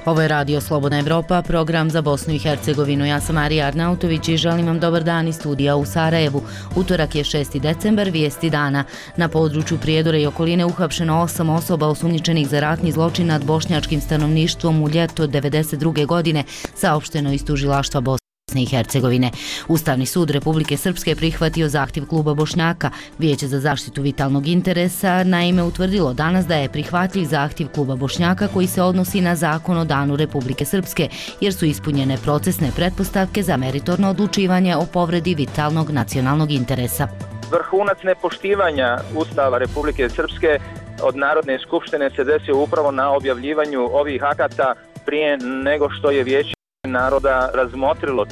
Ovo je Radio Slobodna Evropa, program za Bosnu i Hercegovinu. Ja sam Marija Arnautović i želim vam dobar dan iz studija u Sarajevu. Utorak je 6. decembar, vijesti dana. Na području Prijedora i okoline uhapšeno 8 osoba osumnjičenih za ratni zločin nad bošnjačkim stanovništvom u ljeto 1992. godine, saopšteno iz tužilaštva Bosne i Hercegovine. Ustavni sud Republike Srpske prihvatio zahtjev kluba Bošnjaka. Vijeće za zaštitu vitalnog interesa naime utvrdilo danas da je prihvatljiv zahtjev kluba Bošnjaka koji se odnosi na zakon o danu Republike Srpske, jer su ispunjene procesne pretpostavke za meritorno odlučivanje o povredi vitalnog nacionalnog interesa. Vrhunac nepoštivanja Ustava Republike Srpske od Narodne skupštine se desio upravo na objavljivanju ovih akata prije nego što je Vijeće naroda razmotrilo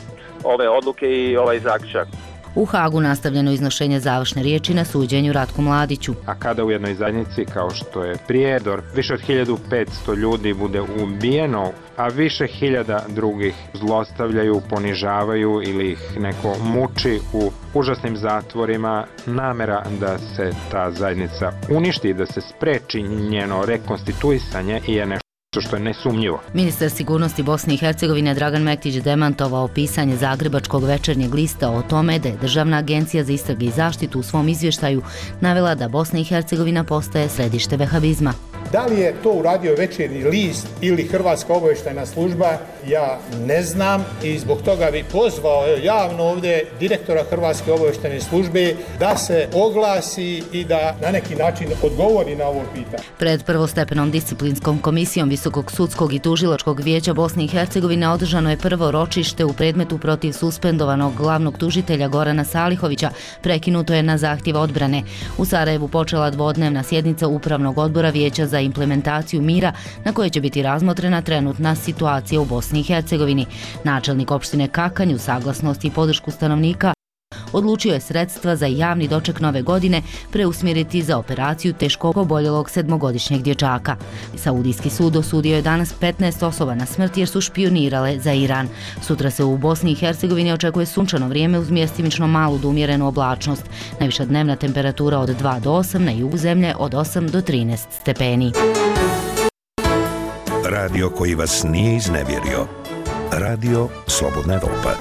ove odluke i ovaj zaključak. U Hagu nastavljeno iznošenje završne riječi na suđenju Ratku Mladiću. A kada u jednoj zajednici kao što je Prijedor više od 1500 ljudi bude ubijeno, a više hiljada drugih zlostavljaju, ponižavaju ili ih neko muči u užasnim zatvorima, namera da se ta zajednica uništi, da se spreči njeno rekonstituisanje je nešto što je nesumnjivo. Ministar sigurnosti Bosne i Hercegovine Dragan Mektić demantovao pisanje Zagrebačkog večernjeg lista o tome da je Državna agencija za istrage i zaštitu u svom izvještaju navela da Bosna i Hercegovina postaje središte vehabizma. Da li je to uradio Večernji list ili Hrvatska obavještajna služba, ja ne znam i zbog toga bi pozvao javno ovdje direktora Hrvatske obavještajne službe da se oglasi i da na neki način odgovori na ovo pitanje. Pred prvostepenom disciplinskom komisijom Visokog sudskog i tužilačkog vijeća Bosne i Hercegovine održano je prvo ročište u predmetu protiv suspendovanog glavnog tužitelja Gorana Salihovića. Prekinuto je na zahtjev odbrane. U Sarajevu počela dvodnevna sjednica Upravnog odbora Vijeća za implementaciju mira na kojoj će biti razmotrena trenutna situacija u Bosni i Hercegovini. Načelnik opštine Kakanj uz saglasnost i podršku stanovnika odlučio je sredstva za javni doček nove godine preusmjeriti za operaciju teško oboljelog 7-godišnjeg dječaka. Saudijski sud osudio je danas 15 osoba na smrt jer su špionirale za Iran. Sutra se u Bosni i Hercegovini očekuje sunčano vrijeme uz mjestimično malu do umjerenu oblačnost. Najviša dnevna temperatura od 2 do 8, na jugu zemlje od 8 do 13 stepeni. Radio koji vas nije iznevjerio. Radio Slobodna Evropa.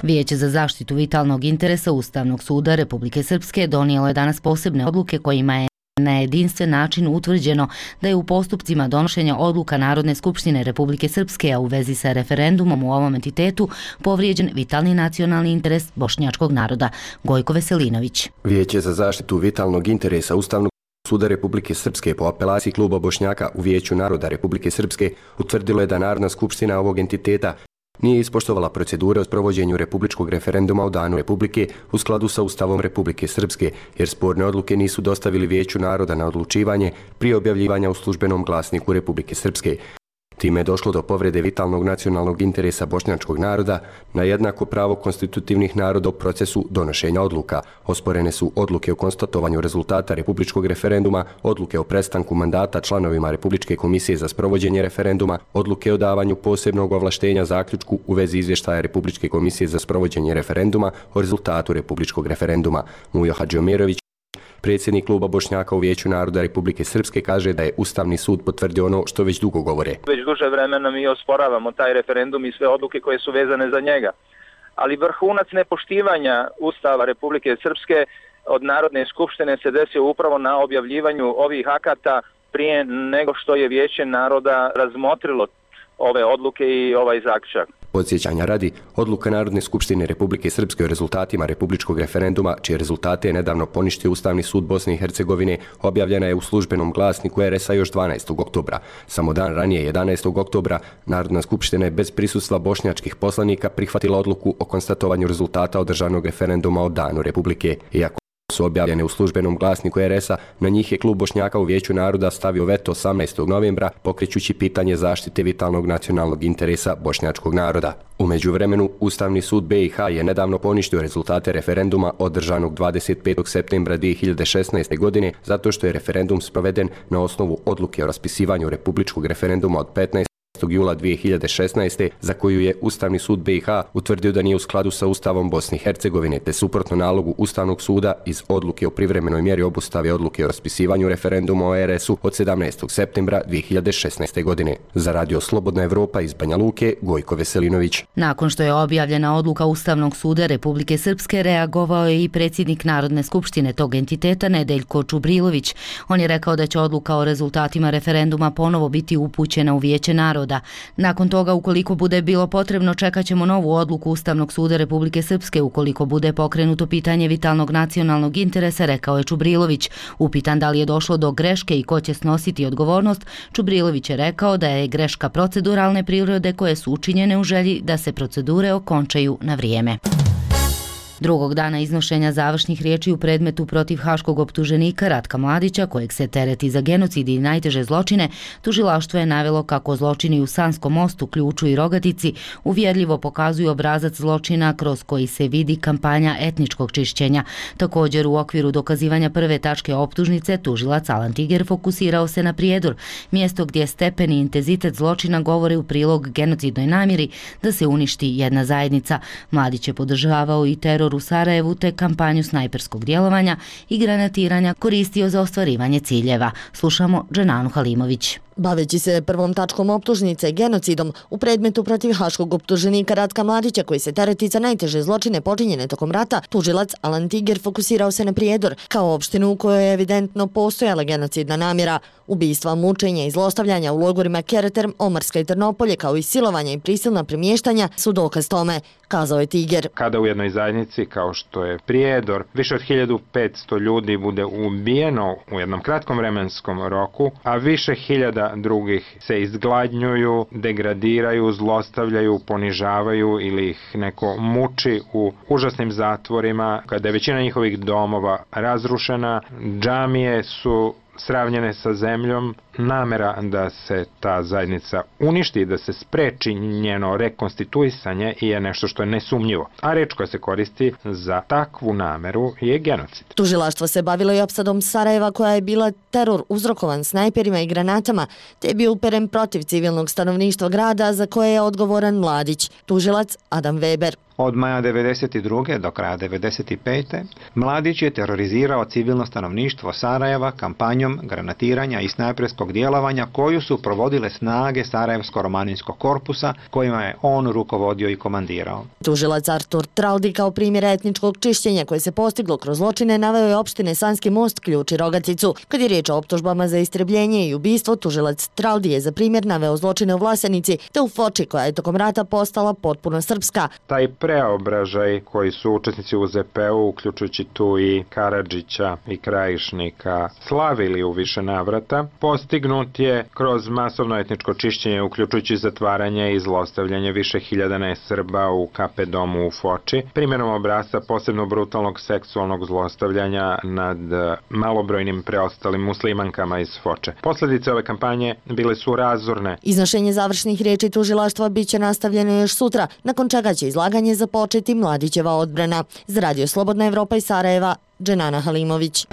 Vijeće za zaštitu vitalnog interesa Ustavnog suda Republike Srpske donijelo je danas posebne odluke kojima je na jedinstven način utvrđeno da je u postupcima donošenja odluka Narodne skupštine Republike Srpske, a u vezi sa referendumom u ovom entitetu, povrijeđen vitalni nacionalni interes bošnjačkog naroda. Gojko Veselinović. Vijeće za zaštitu vitalnog interesa Ustavnog suda Republike Srpske po apelaciji kluba Bošnjaka u Vijeću naroda Republike Srpske utvrdilo je da Narodna skupština ovog entiteta nije ispoštovala procedure o sprovođenju republičkog referenduma o danu Republike u skladu sa Ustavom Republike Srpske, jer sporne odluke nisu dostavili Vijeću naroda na odlučivanje prije objavljivanja u službenom glasniku Republike Srpske. Time je došlo do povrede vitalnog nacionalnog interesa bošnjačkog naroda na jednako pravo konstitutivnih naroda u procesu donošenja odluka. Osporene su odluke o konstatovanju rezultata republičkog referenduma, odluke o prestanku mandata članovima Republičke komisije za sprovođenje referenduma, odluke o davanju posebnog ovlaštenja zaključku u vezi izvještaja Republičke komisije za sprovođenje referenduma o rezultatu republičkog referenduma. Mujo Hadžiomirović, predsjednik kluba Bošnjaka u Vijeću naroda Republike Srpske, kaže da je Ustavni sud potvrdio ono što već dugo govore. Već duže vremena mi osporavamo taj referendum i sve odluke koje su vezane za njega. Ali vrhunac nepoštivanja Ustava Republike Srpske od Narodne skupštine se desio upravo na objavljivanju ovih akata prije nego što je Vijeće naroda razmotrilo ove odluke i ovaj zaključak. Podsjećanja radi, odluka Narodne skupštine Republike Srpske o rezultatima republičkog referenduma, čije rezultate je nedavno poništio Ustavni sud Bosne i Hercegovine, objavljena je u službenom glasniku RS-a još 12. oktobra. Samo dan ranije, 11. oktobra, Narodna skupština je bez prisustva bošnjačkih poslanika prihvatila odluku o konstatovanju rezultata održanog referenduma o danu Republike. Iako su objavljene u službenom glasniku RS-a, na njih je klub Bošnjaka u Vijeću naroda stavio veto 18. novembra, pokrećući pitanje zaštite vitalnog nacionalnog interesa bošnjačkog naroda. U međuvremenu, Ustavni sud BiH je nedavno poništio rezultate referenduma održanog 25. septembra 2016. godine zato što je referendum sproveden na osnovu odluke o raspisivanju republičkog referenduma od 15. jula 2016. za koju je Ustavni sud BiH utvrdio da nije u skladu sa Ustavom Bosne i Hercegovine, te suprotno nalogu Ustavnog suda iz odluke o privremenoj mjeri obustave odluke o raspisivanju referenduma o RS-u od 17. septembra 2016. godine. Za Radio Slobodna Evropa iz Banja Luke, Gojko Veselinović. Nakon što je objavljena odluka Ustavnog suda Republike Srpske, reagovao je i predsjednik Narodne skupštine tog entiteta Nedeljko Čubrilović. On je rekao da će odluka o rezultatima referenduma ponovo biti upućena u Vijeće naroda. Nakon toga, ukoliko bude bilo potrebno, čekat ćemo novu odluku Ustavnog suda Republike Srpske ukoliko bude pokrenuto pitanje vitalnog nacionalnog interesa, rekao je Čubrilović. Upitan da li je došlo do greške i ko će snositi odgovornost, Čubrilović je rekao da je greška proceduralne prirode koje su učinjene u želji da se procedure okončaju na vrijeme. Drugog dana iznošenja završnih riječi u predmetu protiv haškog optuženika Ratka Mladića, kojeg se tereti za genocid i najteže zločine, tužilaštvo je navelo kako zločini u Sanskom mostu, Ključu i Rogatici uvjerljivo pokazuju obrazac zločina kroz koji se vidi kampanja etničkog čišćenja. Također, u okviru dokazivanja prve tačke optužnice, tužilac Alan Tiger fokusirao se na Prijedor, mjesto gdje stepen i intenzitet zločina govore u prilog genocidnoj namjeri da se uništi jedna zajednica. Mladić je podržavao i teror u Sarajevu te kampanju snajperskog djelovanja i granatiranja koristio za ostvarivanje ciljeva. Slušamo Dženanu Halimović. Baveći se prvom tačkom optužnice genocidom u predmetu protiv haškog optuženika Ratka Mladića koji se tereti za najteže zločine počinjene tokom rata, tužilac Alan Tiger fokusirao se na Prijedor kao opštinu u kojoj je evidentno postojala genocidna namjera. Ubistva, mučenja i zlostavljanja u logorima Kereterm, Omarska i Trnopolje kao i silovanja i prisilna premještanja su dokaz tome, kazao je Tiger. Kada u jednoj zajednici kao što je Prijedor više od 1500 ljudi bude ubijeno u jednom kratkom vremenskom roku, a više hiljada drugih se izgladnjuju, degradiraju, zlostavljaju, ponižavaju ili ih neko muči u užasnim zatvorima, kada je većina njihovih domova razrušena, džamije su sravnjene sa zemljom, namera da se ta zajednica uništi, da se spreči njeno rekonstituisanje je nešto što je nesumnjivo. A reč koja se koristi za takvu nameru je genocid. Tužilaštvo se bavilo i opsadom Sarajeva koja je bila teror uzrokovan snajperima i granatama, te je bio uperen protiv civilnog stanovništva grada za koje je odgovoran Mladić, tužilac Adam Weber. Od maja 1992. do kraja 1995. Mladić je terorizirao civilno stanovništvo Sarajeva kampanjom granatiranja i snajperskog djelovanja koju su provodile snage Sarajevsko-romaninskog korpusa kojima je on rukovodio i komandirao. Tužilac Artur Traldi kao primjer etničkog čišćenja koje se postiglo kroz zločine naveo je opštine Sanski most, Ključ i Rogaticu. Kad je riječ o optužbama za istrebljenje i ubistvo, tužilac Traldi je za primjer naveo zločine u Vlasenici te u Foči koja je tokom rata postala potpuno srpska. Taj preobražaj koji su učesnici u ZP-u, uključujući tu i Karadžića i Krajišnika, slavili u više navrata, postignut je kroz masovno etničko čišćenje, uključujući zatvaranje i zlostavljanje više hiljada nesrba u KP domu u Foči, primjerom obrasca posebno brutalnog seksualnog zlostavljanja nad malobrojnim preostalim muslimankama iz Foče. Posljedice ove kampanje bile su razorne. Iznošenje završnih riječi tužilaštva biće nastavljeno još sutra, nakon čega će izlaganje započeti Mladićeva odbrana. Za Radio Slobodna Evropa iz Sarajeva, Dženana Halimović.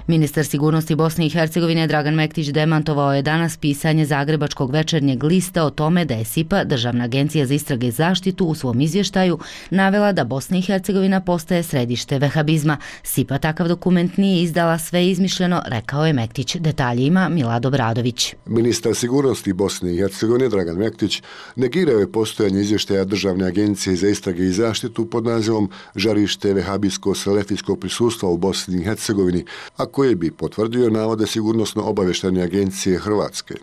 Ministar sigurnosti Bosne i Hercegovine Dragan Mektić demantovao je danas pisanje Zagrebačkog večernjeg lista o tome da je SIPA, Državna agencija za istrage i zaštitu, u svom izvještaju navela da Bosna i Hercegovina postaje središte vehabizma. SIPA takav dokument nije izdala, sve izmišljeno, rekao je Mektić. Detalje ima Milad Obradović. Ministar sigurnosti Bosne i Hercegovine Dragan Mektić negirao je postojanje izvještaja Državne agencije za istrage i zaštitu pod nazivom Žarište vehabijsko-selefijskog prisustva u Bosni i Hercegovini, a koje bi potvrdio navode sigurnosno-obavještajne agencije Hrvatske.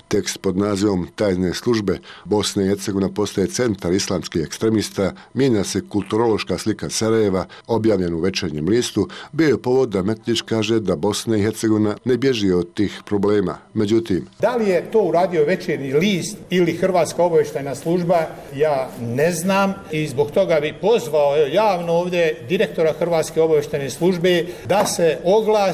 Tekst pod nazivom Tajne službe Bosne i Hercegovina postaje centar islamskih ekstremista, mijenja se kulturološka slika Sarajeva, objavljen u večernjem listu, bio je povod da Mektić kaže da Bosna i Hercegovina ne bježi od tih problema. Međutim, da li je to uradio večernji list ili Hrvatska obavještajna služba, ja ne znam i zbog toga bi pozvao javno ovdje direktora Hrvatske obavještajne službe da se oglasi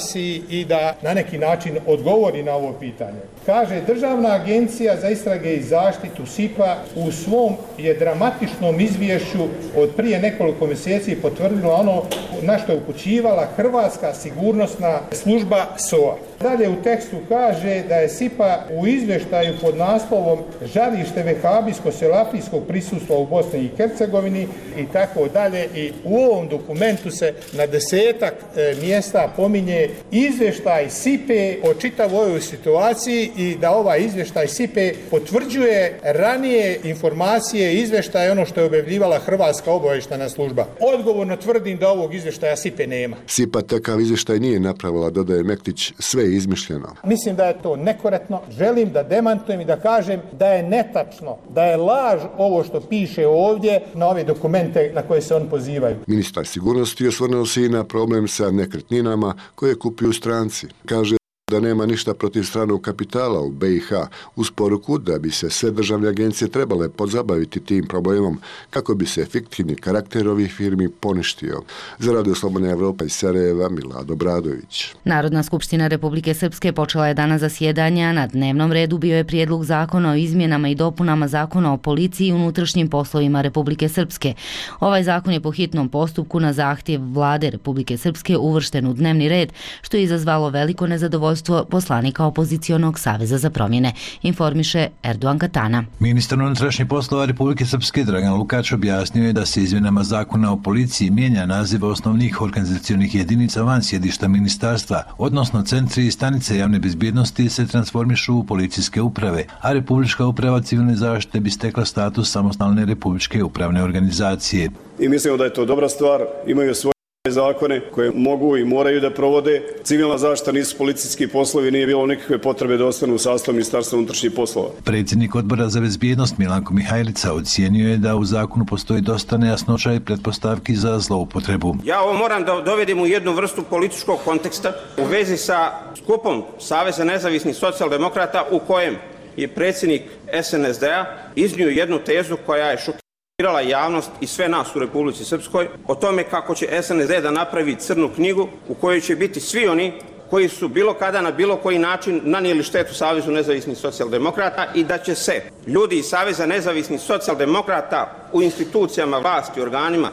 i da na neki način odgovori na ovo pitanje. Kaže, Državna agencija za istrage i zaštitu SIPA u svom je dramatičnom izvješću od prije nekoliko mjeseci potvrdila ono na što je upućivala Hrvatska sigurnosna služba SOA. Dalje u tekstu kaže da je SIPA u izvještaju pod naslovom žarište vehabijsko-selafijskog prisustva u Bosni i Hercegovini i tako dalje. I u ovom dokumentu se na 10-ak mjesta pominje izvještaj SIPE o čitavoj ovoj situaciji i da ovaj izvještaj SIPE potvrđuje ranije informacije i izvještaje ono što je objavljivala Hrvatska obavještajna služba. Odgovorno tvrdim da ovog izvještaja SIPE nema. SIPA takav izvještaj nije napravila, dodaje Mektić, sve je izmišljeno. Mislim da je to nekorektno. Želim da demantujem i da kažem da je netačno, da je laž ovo što piše ovdje na ove dokumente na koje se on pozivaju. Ministar sigurnosti osvrnuo se i na problem sa nekretninama koje kupuju stranci. Kaže da nema ništa protiv stranog kapitala u BiH, uz poruku da bi se sve državne agencije trebale pozabaviti tim problemom kako bi se fiktivni karakter ovih firmi poništio. Za Radio Slobodna Evropa iz Sarajeva, Milad Obradović. Narodna skupština Republike Srpske počela je danas zasjedanja. Na dnevnom redu bio je prijedlog zakona o izmjenama i dopunama zakona o policiji i unutrašnjim poslovima Republike Srpske. Ovaj zakon je po hitnom postupku na zahtjev vlade Republike Srpske uvršten u dnevni red, što je izazvalo veliko nezadovoljstvo poslanika opozicionog Saveza za promjene, informiše Erdogan Katana. Ministar unutrašnjih poslova Republike Srpske Dragan Lukač objasnio je da se izmjenama zakona o policiji mijenja naziv osnovnih organizacionih jedinica van sjedišta ministarstva, odnosno centri i stanice javne bezbjednosti se transformišu u policijske uprave, a Republička uprava civilne zaštite bi stekla status samostalne republičke upravne organizacije. I mislimo da je to dobra stvar, imaju svoje zakone koje mogu i moraju da provode. Civilna zaštita nisu policijski poslovi, nije bilo nikakve potrebe da ostanu u sastavu Ministarstva unutrašnjih poslova. Predsjednik odbora za bezbjednost Milanko Mihajlica ocijenio je da u zakonu postoji dosta nejasnoća i pretpostavki za zloupotrebu. Ja ovo moram da dovedim u jednu vrstu političkog konteksta u vezi sa skupom Saveza nezavisnih socijaldemokrata u kojem je predsjednik SNSD-a iznio jednu tezu koja je šokirala javnost i sve nas u Republici Srpskoj o tome kako će SNSD da napravi crnu knjigu u kojoj će biti svi oni koji su bilo kada na bilo koji način nanijeli štetu Savezu nezavisnih socijaldemokrata i da će se ljudi iz Saveza nezavisnih socijaldemokrata u institucijama vlasti, organima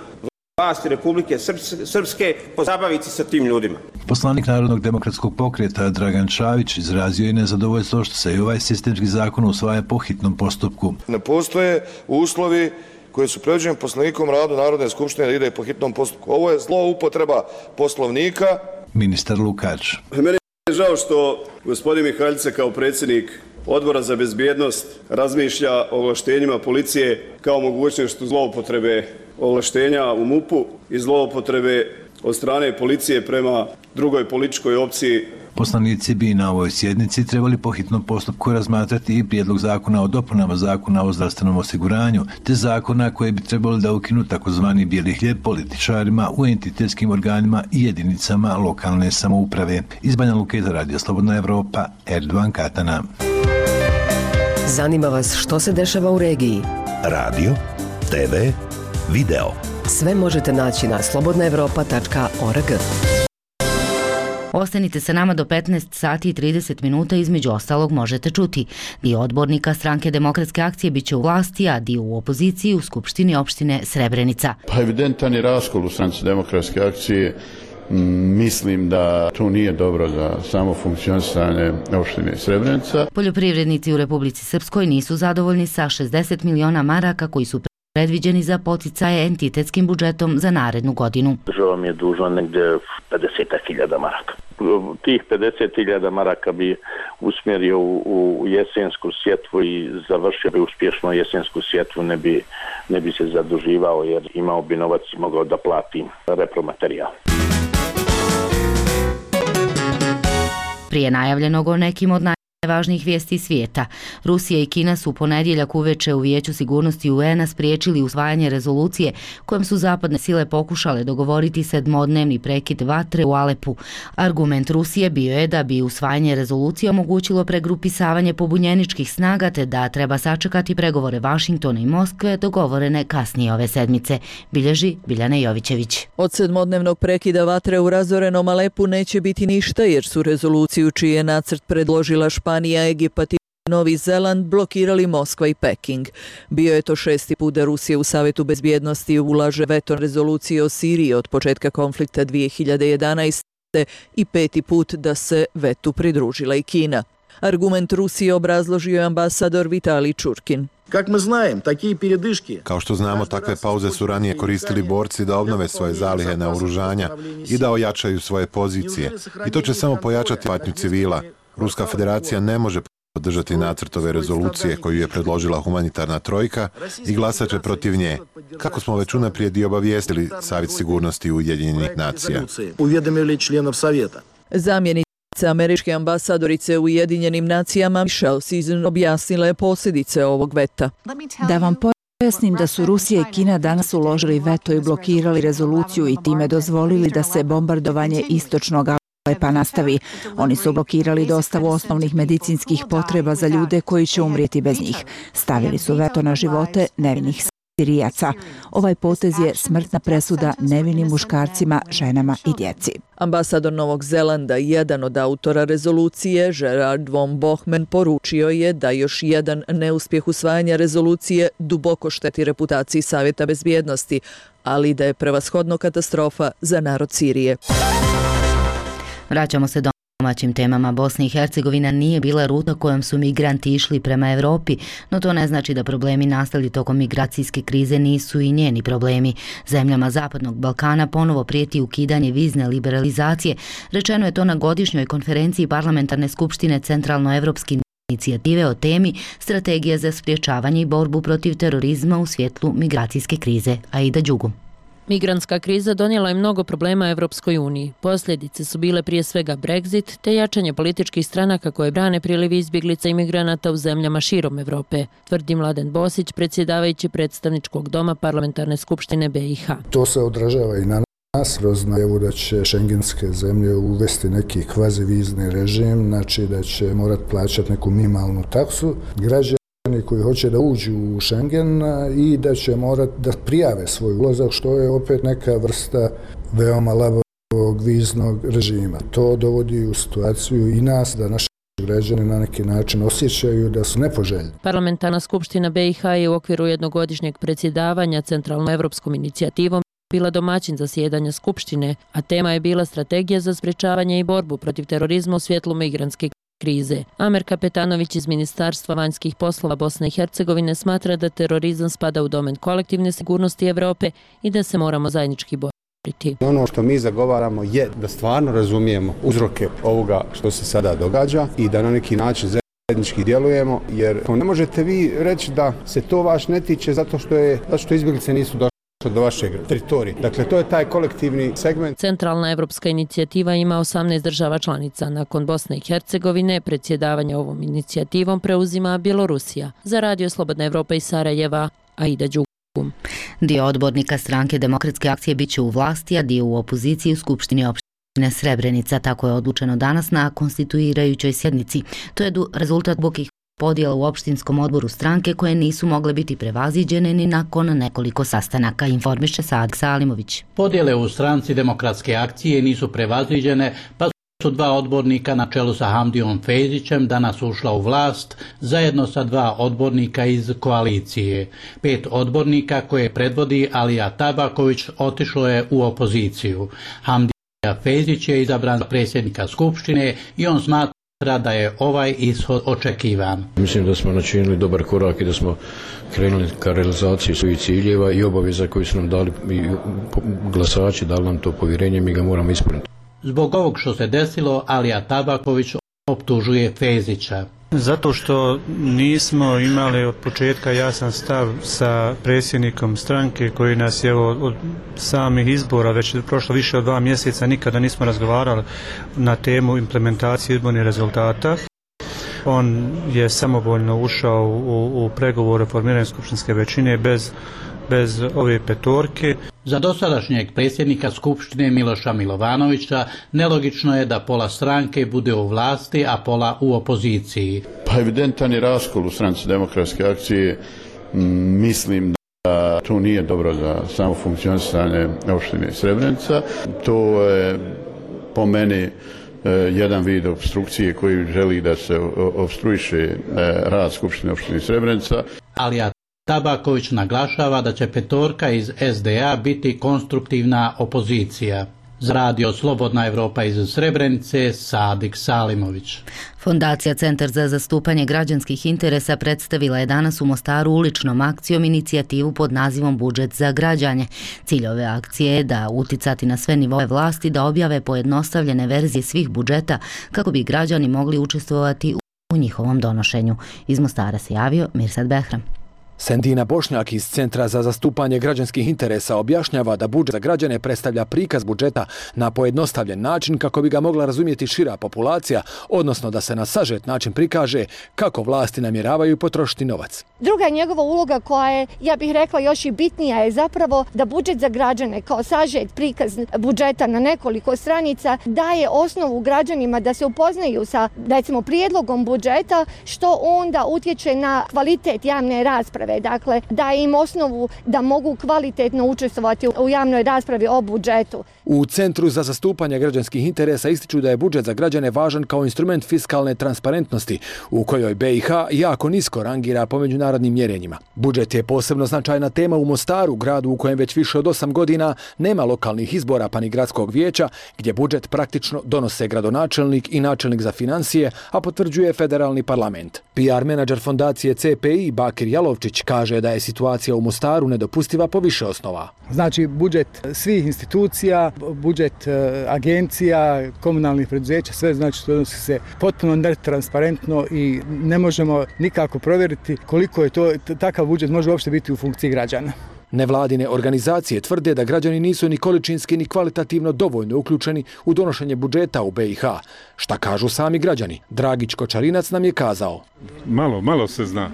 vlasti Republike Srpske pozabaviti sa tim ljudima. Poslanik Narodnog demokratskog pokreta Dragan Čavić izrazio je nezadovoljstvo što se i ovaj sistemski zakon usvaja po hitnom postupku. Ne postoje uslovi koji su predviđeni Poslovnikom radu Narodne skupštine da ide po hitnom postupku. Ovo je zloupotreba Poslovnika. Ministar Lukač. Meni je žao što gospodin Mihajlica kao predsjednik Odbora za bezbjednost razmišlja o ovlaštenjima policije kao mogućnošću zloupotrebe ovlaštenja u MUP-u i zloupotrebe od strane policije prema drugoj političkoj opciji. Poslanici bi na ovoj sjednici trebali po hitnom postupku razmatrati i prijedlog zakona o dopunama zakona o zdravstvenom osiguranju, te zakona koje bi trebali da ukinu takozvani bijeli hljeb političarima u entitetskim organima i jedinicama lokalne samouprave. Iz Banja Luke za Radio Slobodna Evropa, Erdogan Katana. Zanima vas što se dešava u regiji? Radio, TV, video. Sve možete naći na slobodnaevropa.org. Ostanite sa nama do 15 sati i 30 minuta, između ostalog možete čuti. Dio odbornika Stranke demokratske akcije biće u vlasti, a dio u opoziciji u Skupštini opštine Srebrenica. Pa evidentan je raskol u Stranci demokratske akcije. Mislim da to nije dobro za samo funkcionisanje opštine Srebrenica. Poljoprivrednici u Republici Srpskoj nisu zadovoljni sa 60 miliona maraka koji su predviđeni za poticaje entitetskim budžetom za narednu godinu. Država mi je dužna negdje 50.000 maraka. Tih 50.000 maraka bi usmjerio u jesensku sjetvu i završio bi uspješno jesensku sjetvu, ne bi se zaduživao jer imao bi novac i mogao da plati repromaterijal. Prije najavljenog o nekim od najvažnijih vijesti svijeta, Rusija i Kina su u ponedjeljak uveče u Vijeću sigurnosti UN-a spriječili usvajanje rezolucije kojom su zapadne sile pokušale dogovoriti 7-dnevni prekid vatre u Alepu. Argument Rusije bio je da bi usvajanje rezolucije omogućilo pregrupisavanje pobunjeničkih snaga te da treba sačekati pregovore Vašingtona i Moskve dogovorene kasnije ove sedmice, bilježi Biljana Jovićević. Od 7-dnevnog prekida vatre u razorenom Alepu neće biti ništa jer su rezoluciju čiji je nacrt predložila Španija, Egipat i Novi Zeland blokirali Moskva i Peking. Bio je to 6. put da Rusija u Savjetu bezbjednosti ulaže veto rezolucije o Siriji od početka konflikta 2011. i 5. put da se vetu pridružila i Kina. Argument Rusije obrazložio je ambasador Vitalij Čurkin. Kao što znamo, takve pauze su ranije koristili borci da obnove svoje zalihe naoružanja i da ojačaju svoje pozicije. I to će samo pojačati patnju civila. Ruska federacija ne može podržati nacrt ove rezolucije koju je predložila humanitarna trojka i glasat će protiv nje, kako smo već unaprijed i obavijestili Savjet sigurnosti Ujedinjenih nacija. Zamjenica američke ambasadorice u Ujedinjenim nacijama Michelle Season objasnila je posljedice ovog veta. Da vam pojasnim da su Rusija i Kina danas uložili veto i blokirali rezoluciju i time dozvolili da se bombardovanje istočnog Alepa nastavi. Oni su blokirali dostavu osnovnih medicinskih potreba za ljude koji će umrijeti bez njih. Stavili su veto na živote nevinih Sirijaca. Ovaj potez je smrtna presuda nevinim muškarcima, ženama i djeci. Ambasador Novog Zelanda, jedan od autora rezolucije, Gerard von Bohmen, poručio je da još jedan neuspjeh usvajanja rezolucije duboko šteti reputaciji Savjeta bezbjednosti, ali da je prevashodno katastrofa za narod Sirije. Vraćamo se domaćim temama. Bosna i Hercegovina nije bila ruta kojom su migranti išli prema Europi, no to ne znači da problemi nastali tokom migracijske krize nisu i njeni problemi. Zemljama Zapadnog Balkana ponovo prijeti ukidanje vizne liberalizacije. Rečeno je to na godišnjoj konferenciji Parlamentarne skupštine Centralnoevropske inicijative o temi Strategija za sprječavanje i borbu protiv terorizma u svjetlu migracijske krize. Aida Đugu. Migrantska kriza donijela je mnogo problema Evropskoj uniji. Posljedice su bile prije svega Brexit te jačanje političkih stranaka koje brane priliv izbjeglica i migranata u zemljama širom Evrope, tvrdi Mladen Bosić, predsjedavajući predstavničkog doma Parlamentarne skupštine BiH. To se odražava i na nas kroz najavu da će šengenske zemlje uvesti neki kvazivizni režim, znači da će morati plaćati neku minimalnu taksu. Građani koji hoće da uđu u Schengen i da će morati da prijave svoj ulazak, što je opet neka vrsta veoma labavog viznog režima. To dovodi u situaciju i nas da naši građani na neki način osjećaju da su nepoželjni. Parlamentarna skupština BiH je u okviru jednogodišnjeg predsjedavanja Centralnoevropskom inicijativom bila domaćin zasjedanja skupštine, a tema je bila Strategija za sprječavanje i borbu protiv terorizma u svjetlu migrantske krize. Amer Kapetanović iz Ministarstva vanjskih poslova Bosne i Hercegovine smatra da terorizam spada u domen kolektivne sigurnosti Evrope i da se moramo zajednički boriti. Ono što mi zagovaramo je da stvarno razumijemo uzroke ovoga što se sada događa i da na neki način zajednički djelujemo, jer ne možete vi reći da se to vaš ne tiče zato što izbjeglice nisu došle do vašeg teritorija. Dakle, to je taj kolektivni segment. Centralna evropska inicijativa ima 18 država članica. Nakon Bosne i Hercegovine, predsjedavanje ovom inicijativom preuzima Bjelorusija. Za Radio Slobodna Evropa iz Sarajeva, Aida Đugu. Dio odbornika stranke Demokratske akcije biće u vlasti, a dio u opoziciji u Skupštini opštine Srebrenica. Tako je odlučeno danas na konstituirajućoj sjednici. To je rezultat dubokih podjela u opštinskom odboru stranke koje nisu mogle biti prevaziđene ni nakon nekoliko sastanaka, informiše Sadik Salimović. Podjele u stranci Demokratske akcije nisu prevaziđene, pa su dva odbornika na čelu sa Hamdijom Fejzićem danas ušla u vlast, zajedno sa dva odbornika iz koalicije. 5 odbornika koje predvodi Alija Tabaković otišlo je u opoziciju. Hamdija Fejzić je izabran za predsjednika Skupštine i on smatra da je ovaj ishod očekivan. Mislim da smo načinili dobar korak i da smo krenuli ka realizaciji svojih ciljeva i obaveza koji su nam dali glasači, dali nam to povjerenje, mi ga moramo ispuniti. Zbog ovog što se desilo, Alija Tabaković optužuje Fejzića. Zato što nismo imali od početka jasan stav sa predsjednikom stranke koji nas je od samih izbora, već prošlo više od 2 mjeseca, nikada nismo razgovarali na temu implementacije izbornih rezultata. On je samovoljno ušao u pregovore o formiranju skupštinske većine bez ove petorke. Za dosadašnjeg predsjednika Skupštine Miloša Milovanovića nelogično je da pola stranke bude u vlasti, a pola u opoziciji. Pa evidentan je raskol u stranci Demokratske akcije. Mislim da to nije dobro za samo funkcionisanje opštine Srebrenica. To je po meni jedan vid opstrukcije koji želi da se opstruiše rad Skupštine opštine Srebrenica. Alija Tabaković naglašava da će petorka iz SDA biti konstruktivna opozicija. Za radio Slobodna Evropa iz Srebrenice, Sadik Salimović. Fondacija Centar za zastupanje građanskih interesa predstavila je danas u Mostaru uličnom akcijom inicijativu pod nazivom Budžet za građanje. Cilj ove akcije je da uticati na sve nivoe vlasti da objave pojednostavljene verzije svih budžeta kako bi građani mogli učestvovati u njihovom donošenju. Iz Mostara se javio Mirsad Behram. Sendina Bošnjak iz Centra za zastupanje građanskih interesa objašnjava da budžet za građane predstavlja prikaz budžeta na pojednostavljen način kako bi ga mogla razumjeti šira populacija, odnosno da se na sažet način prikaže kako vlasti namjeravaju potrošiti novac. Druga njegova uloga koja je, ja bih rekla, još i bitnija je zapravo da budžet za građane kao sažet prikaz budžeta na nekoliko stranica daje osnovu građanima da se upoznaju sa, recimo, prijedlogom budžeta, što onda utječe na kvalitet javne rasprave. Dakle, daje im osnovu da mogu kvalitetno učestvovati u javnoj raspravi o budžetu. U Centru za zastupanje građanskih interesa ističu da je budžet za građane važan kao instrument fiskalne transparentnosti, u kojoj BiH jako nisko rangira po međunarodnim mjerenjima. Budžet je posebno značajna tema u Mostaru, gradu u kojem već više od 8 godina nema lokalnih izbora pa ni gradskog vijeća, gdje budžet praktično donose gradonačelnik i načelnik za financije, a potvrđuje federalni parlament. PR menadžer fondacije CPI Bakir Jalovčić kaže da je situacija u Mostaru nedopustiva po više osnova. Znači, budžet svih institucija, budžet agencija, komunalnih preduzeća, sve znači što odnosi se potpuno netransparentno i ne možemo nikako provjeriti koliko je takav budžet može uopšte biti u funkciji građana. Nevladine organizacije tvrde da građani nisu ni količinski ni kvalitativno dovoljno uključeni u donošenje budžeta u BiH. Šta kažu sami građani? Dragić Kočarinac nam je kazao. Malo se zna.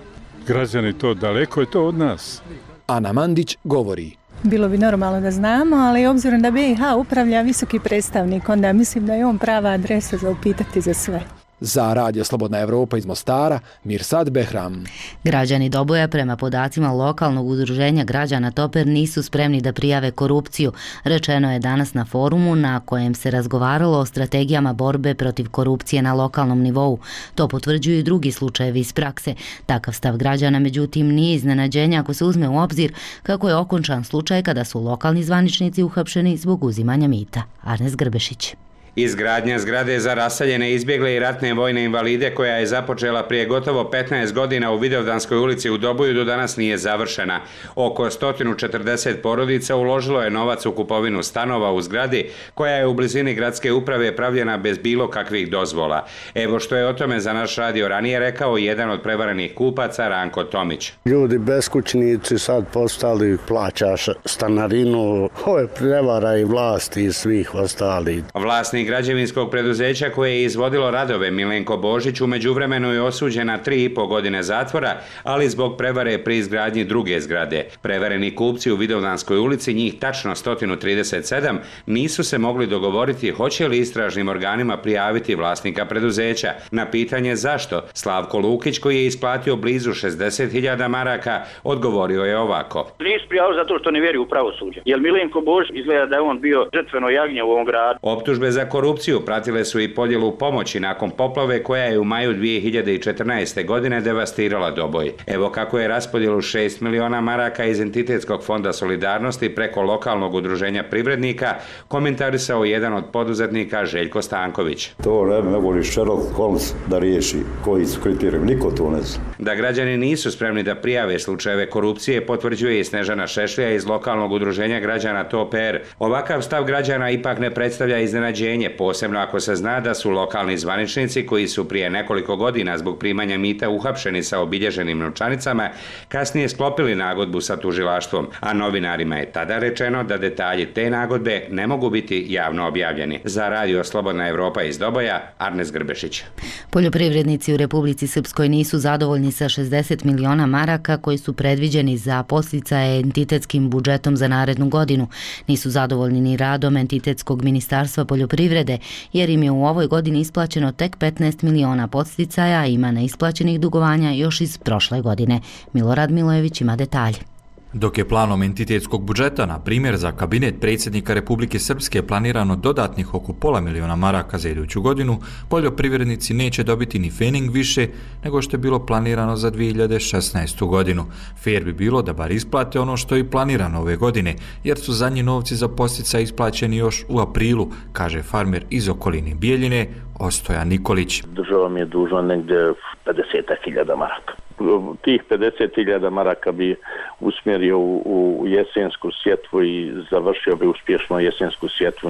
Građani to daleko je to od nas. Ana Mandić govori. Bilo bi normalno da znamo, ali obzirom da BiH upravlja visoki predstavnik, onda mislim da je on prava adresa za upitati za sve. Za radio Slobodna Evropa iz Mostara, Mirsad Behram. Građani Doboja prema podacima lokalnog udruženja građana Toper nisu spremni da prijave korupciju. Rečeno je danas na forumu na kojem se razgovaralo o strategijama borbe protiv korupcije na lokalnom nivou. To potvrđuju i drugi slučajevi iz prakse. Takav stav građana međutim nije iznenađenje ako se uzme u obzir kako je okončan slučaj kada su lokalni zvaničnici uhapšeni zbog uzimanja mita. Arnes Grbešić. Izgradnja zgrade za raseljene, izbjegle i ratne vojne invalide koja je započela prije gotovo 15 godina u Vidovdanskoj ulici u Doboju do danas nije završena. Oko 140 porodica uložilo je novac u kupovinu stanova u zgradi koja je u blizini gradske uprave pravljena bez bilo kakvih dozvola. Evo što je o tome za naš radio ranije rekao jedan od prevarenih kupaca, Ranko Tomić. Ljudi beskućnici sad postali, plaćaš stanarinu, ove prevara i vlasti i svih ostali. Vlasnik građevinskog preduzeća koje je izvodilo radove, Milenko Božić, u međuvremenu je osuđen na 3,5 godine zatvora, ali zbog prevare pri izgradnji druge zgrade. Prevareni kupci u Vidovdanskoj ulici, njih tačno 137, nisu se mogli dogovoriti hoće li istražnim organima prijaviti vlasnika preduzeća. Na pitanje zašto, Slavko Lukić, koji je isplatio blizu 60.000 maraka, odgovorio je ovako. Nisu prijavili zato što ne vjeruju u pravosuđe, jer Milenko Božić izgleda da je on bio žrtveno jagnje u ovom gradu. Optužbe za korupciju pratile su i podjelu pomoći nakon poplave koja je u maju 2014. godine devastirala Doboj. Evo kako je raspodjelu 6 miliona maraka iz Entitetskog fonda solidarnosti preko lokalnog udruženja privrednika komentarisao jedan od poduzetnika, Željko Stanković. To ne mogu ni Sherlock Holmes da riješi koji su kriteriji, niko to ne zna. Da građani nisu spremni da prijave slučajeve korupcije potvrđuje i Snežana Šešlija iz lokalnog udruženja građana TOPR. Ovakav stav građana ipak ne predstavlja iznenađenje, posebno ako se zna da su lokalni zvaničnici koji su prije nekoliko godina zbog primanja mita uhapšeni sa obilježenim novčanicama, kasnije sklopili nagodbu sa tužilaštvom, a novinarima je tada rečeno da detalji te nagodbe ne mogu biti javno objavljeni. Za radio Slobodna Evropa iz Doboja, Arnes Grbešić. Poljoprivrednici u Republici Srpskoj nisu zadovoljni sa 60 miliona maraka koji su predviđeni za podsticaje entitetskim budžetom za narednu godinu. Nisu zadovoljni ni radom entitetskog ministarstva poljoprivrede, jer im je u ovoj godini isplaćeno tek 15 miliona podsticaja, a ima neisplaćenih dugovanja još iz prošle godine. Milorad Milojević ima detalje. Dok je planom entitetskog budžeta, na primjer, za kabinet predsjednika Republike Srpske planirano dodatnih oko $500.000 maraka za iduću godinu, poljoprivrednici neće dobiti ni fening više nego što je bilo planirano za 2016. godinu. Fair bi bilo da bar isplate ono što je i planirano ove godine, jer su zadnji novci za podsticaj isplaćeni još u aprilu, kaže farmer iz okoline Bijeljine, Ostoja Nikolić. Država mi je dužna negdje 50.000 maraka. Tih 50.000 maraka bi usmjerio u jesensku sjetvu i završio bi uspješno jesensku sjetvu,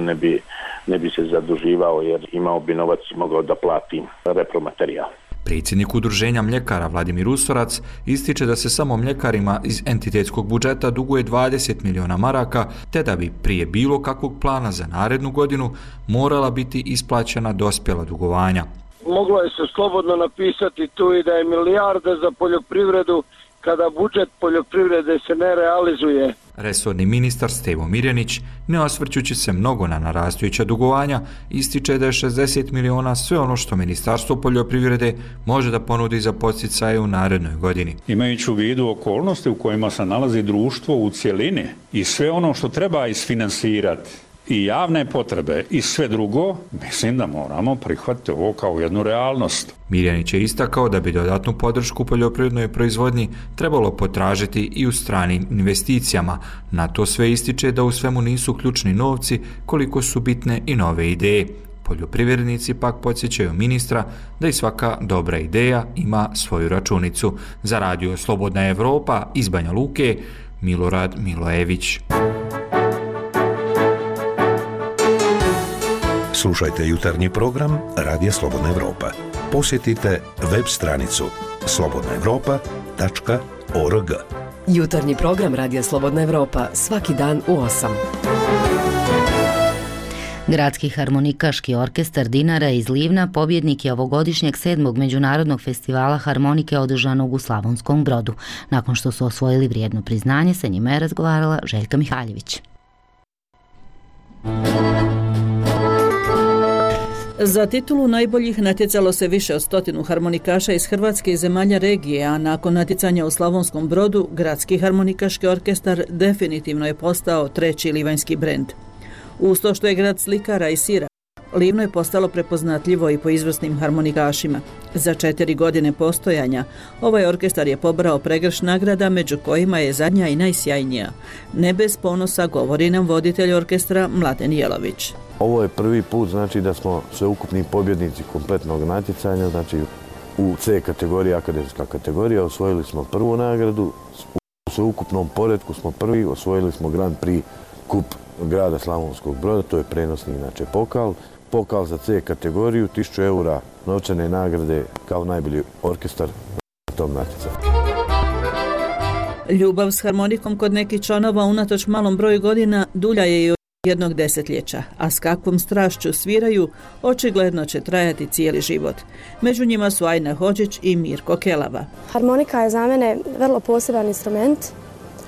ne bi se zaduživao jer imao bi novac i mogao da plati repromaterijal. Predsjednik udruženja mljekara Vladimir Usorac ističe da se samo mljekarima iz entitetskog budžeta duguje 20 miliona maraka, te da bi prije bilo kakvog plana za narednu godinu morala biti isplaćena dospjela dugovanja. Moglo je se slobodno napisati tu i da je milijarda za poljoprivredu kada budžet poljoprivrede se ne realizuje. Resorni ministar Stevo Mirjanić, ne osvrćući se mnogo na narastujuća dugovanja, ističe da je 60 miliona sve ono što Ministarstvo poljoprivrede može da ponudi za podsticaje u narednoj godini. Imajući u vidu okolnosti u kojima se nalazi društvo u cjelini i sve ono što treba isfinansirati, i javne potrebe i sve drugo, mislim da moramo prihvatiti ovo kao jednu realnost. Mirjanić je istakao da bi dodatnu podršku poljoprivrednoj proizvodnji trebalo potražiti i u stranim investicijama. Na to sve ističe da u svemu nisu ključni novci koliko su bitne i nove ideje. Poljoprivrednici pak podsjećaju ministra da i svaka dobra ideja ima svoju računicu. Za radio Slobodna Evropa iz Banja Luke, Milorad Milojević. Slušajte jutarnji program Radija Slobodna Evropa. Posjetite web stranicu slobodnaevropa.org. Jutarnji program Radija Slobodna Evropa svaki dan u 8. Gradski harmonikaški orkestar Dinara iz Livna pobjednik je ovogodišnjeg 7. međunarodnog festivala harmonike održanog u Slavonskom Brodu. Nakon što su osvojili vrijedno priznanje, sa njima je razgovarala Željka Mihaljević. Za titulu najboljih natjecalo se više od 100 harmonikaša iz Hrvatske i zemalja regije, a nakon natjecanja u Slavonskom Brodu, Gradski harmonikaški orkestar definitivno je postao treći livanjski brend. Uz to što je grad slikara i sira, Livno je postalo prepoznatljivo i po izvrsnim harmonikašima. Za 4 godine postojanja, ovaj orkestar je pobrao pregršt nagrada, među kojima je zadnja i najsjajnija. Ne bez ponosa, govori nam voditelj orkestra Mladen Jelović. Ovo je prvi put, znači da smo sveukupni pobjednici kompletnog natjecanja, znači u C kategoriji, akademska kategorija, osvojili smo prvu nagradu, u sveukupnom poretku smo prvi, osvojili smo Grand Prix kup grada Slavonskog Broda, to je prenosni inače pokal za C kategoriju, 1000 eura novčane nagrade kao najbolji orkestar na tom natjecanju. Ljubav s harmonikom kod nekih članova unatoč malom broju godina dulja je i od jednog desetljeća, a s kakvom strašću sviraju, očigledno će trajati cijeli život. Među njima su Ajna Hodžić i Mirko Kelava. Harmonika je za mene vrlo poseban instrument.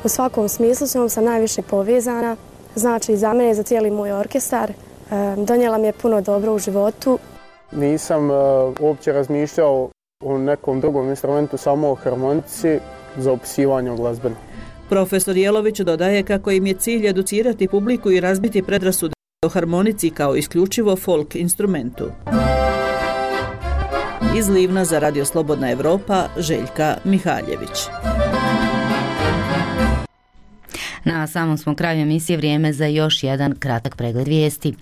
U svakom smislu s njom sam najviše povezana. Znači za mene i za cijeli moj orkestar. Donijela mi je puno dobro u životu. Nisam uopće razmišljao o nekom drugom instrumentu, samo o harmonici za opisivanje glazbene. Profesor Jelović dodaje kako im je cilj educirati publiku i razbiti predrasude o harmonici kao isključivo folk instrumentu. Iz Livna za Radio Slobodna Evropa, Željka Mihaljević. Na samom smo kraju emisije, vrijeme za još jedan kratak pregled vijesti.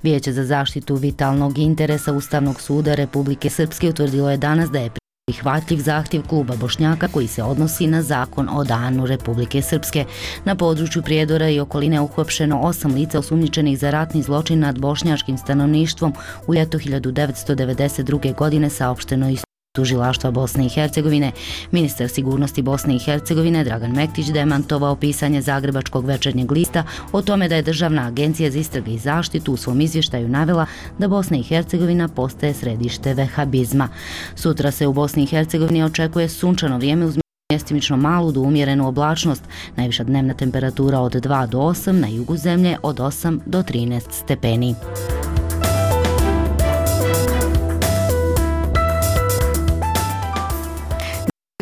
Vijeće za zaštitu vitalnog interesa Ustavnog suda Republike Srpske utvrdilo je danas da je prihvatljiv zahtjev kluba Bošnjaka koji se odnosi na zakon o danu Republike Srpske. Na području Prijedora i okoline uhapšeno 8 lica osumnjičenih za ratni zločin nad bošnjačkim stanovništvom u ljeto 1992. godine, saopšteno iz Tužilaštva Bosne i Hercegovine. Ministar sigurnosti Bosne i Hercegovine Dragan Mektić demantovao pisanje Zagrebačkog večernjeg lista o tome da je Državna agencija za istrage i zaštitu u svom izvještaju navela da Bosna i Hercegovina postaje središte vehabizma. Sutra se u Bosni i Hercegovini očekuje sunčano vrijeme uz mjestimično malu do umjerenu oblačnost. Najviša dnevna temperatura od 2 do 8, na jugu zemlje od 8 do 13 stepeni.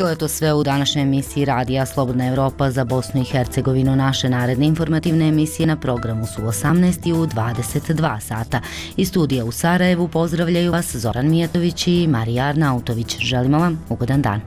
Bilo je to sve u današnjoj emisiji Radija Slobodna Evropa za Bosnu i Hercegovinu. Naše naredne informativne emisije na programu su 18 i u 22 sata. Iz studija u Sarajevu pozdravljaju vas Zoran Mijatović i Marija Arnautović. Želimo vam ugodan dan.